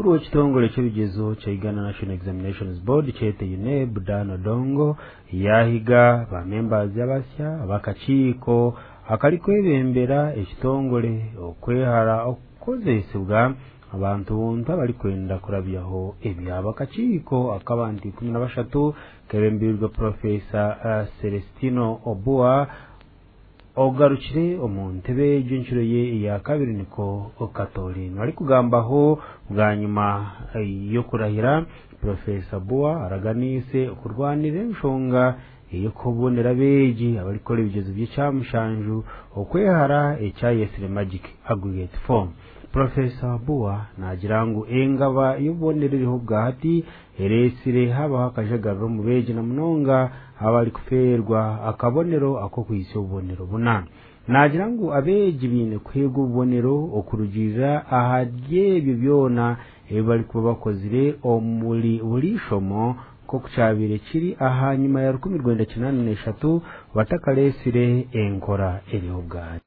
Omukuru w'ekitongore ky'ebigezo kya Uganda National Examinations Board kyete UNEB, Dan Odongo, yahiga ba members abasya abakakiiko akarikwebembera ekitongore okwehara okukozesebwa abantu buntu abarikwenda kurabyaho ebyabo. Akakiiko ak'abantu 13 kebembeirwe Profesa Celestino Obua ogarukire omu ntebe egyo enshuro ye eya kabiri niko katorinwa. Arikugambaho bwanyima y'okurahira, Profesa Bua araganiise okurwanira enshonga ey'okubonera abeegi abarikukora ebigezo by'ekyamushanju okwehara ekyayesire Magic Aggregate Form. Profesa Bua naagira ngu engaba y'obubonero eriho bwahati ereetsire habaho akajagariro omu beegi na munonga abarikufeerwa akabonero ak'okuhitsya obubonero buna. Naagira ngu abeegi baine kuheebwa obubonero okurugiirira ahari ebyo byona ebi barikuba bakozire omuri buri ishomo, nk'oku kyabaire kiri ahanyima ya 1983 batakareetsire enkora eriho bwahati.